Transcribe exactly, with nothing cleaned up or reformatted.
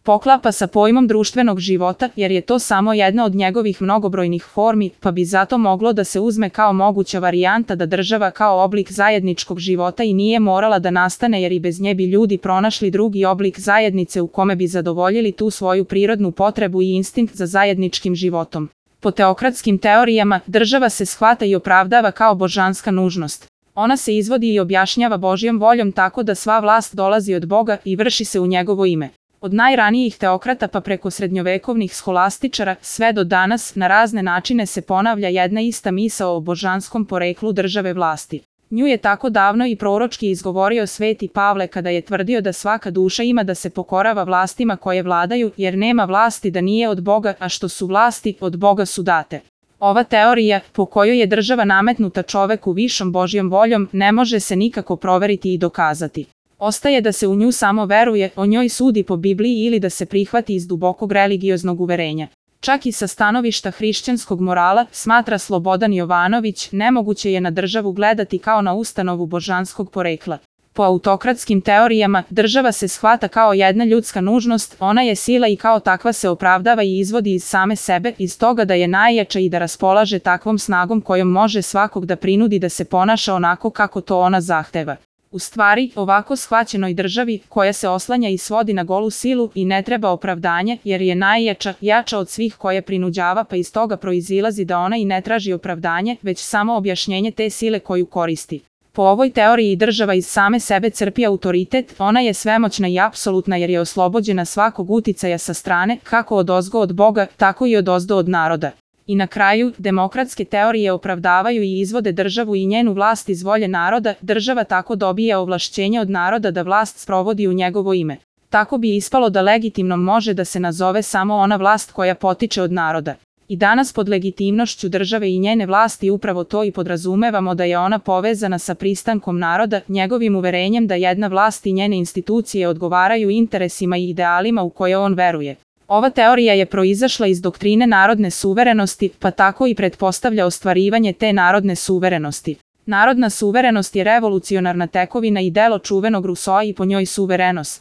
poklapa sa pojmom društvenog života, jer je to samo jedna od njegovih mnogobrojnih formi, pa bi zato moglo da se uzme kao moguća varijanta da država kao oblik zajedničkog života i nije morala da nastane, jer i bez nje bi ljudi pronašli drugi oblik zajednice u kome bi zadovoljili tu svoju prirodnu potrebu i instinkt za zajedničkim životom. Po teokratskim teorijama, država se shvata i opravdava kao božanska nužnost. Ona se izvodi i objašnjava Božjom voljom tako da sva vlast dolazi od Boga i vrši se u njegovo ime. Od najranijih teokrata pa preko srednjovekovnih scholastičara sve do danas na razne načine se ponavlja jedna ista misao o božanskom poreklu države vlasti. Nju je tako davno i proročki izgovorio Sveti Pavle kada je tvrdio da svaka duša ima da se pokorava vlastima koje vladaju, jer nema vlasti da nije od Boga, a što su vlasti, od Boga su date. Ova teorija, po kojoj je država nametnuta čoveku višom Božjom voljom, ne može se nikako proveriti i dokazati. Ostaje da se u nju samo veruje, o njoj sudi po Bibliji ili da se prihvati iz dubokog religioznog uverenja. Čak i sa stanovišta hrišćanskog morala, smatra Slobodan Jovanović, nemoguće je na državu gledati kao na ustanovu božanskog porekla. Po autokratskim teorijama, država se shvata kao jedna ljudska nužnost, ona je sila i kao takva se opravdava i izvodi iz same sebe, iz toga da je najjača i da raspolaže takvom snagom kojom može svakog da prinudi da se ponaša onako kako to ona zahteva. U stvari, ovako shvaćenoj državi, koja se oslanja i svodi na golu silu i ne treba opravdanje, jer je najjača, jača od svih koje prinuđava, pa iz toga proizilazi da ona i ne traži opravdanje, već samo objašnjenje te sile koju koristi. Po ovoj teoriji država iz same sebe crpi autoritet, ona je svemoćna i apsolutna jer je oslobođena svakog uticaja sa strane, kako odozgo od Boga, tako i odozdo od naroda. I na kraju, demokratske teorije opravdavaju i izvode državu i njenu vlast iz volje naroda, država tako dobija ovlašćenje od naroda da vlast sprovodi u njegovo ime. Tako bi ispalo da legitimnom može da se nazove samo ona vlast koja potiče od naroda. I danas pod legitimnošću države i njene vlasti upravo to i podrazumevamo da je ona povezana sa pristankom naroda, njegovim uverenjem da jedna vlast i njene institucije odgovaraju interesima i idealima u koje on veruje. Ova teorija je proizašla iz doktrine narodne suverenosti, pa tako i pretpostavlja ostvarivanje te narodne suverenosti. Narodna suverenost je revolucionarna tekovina i delo čuvenog Rusoa i po njoj suverenost.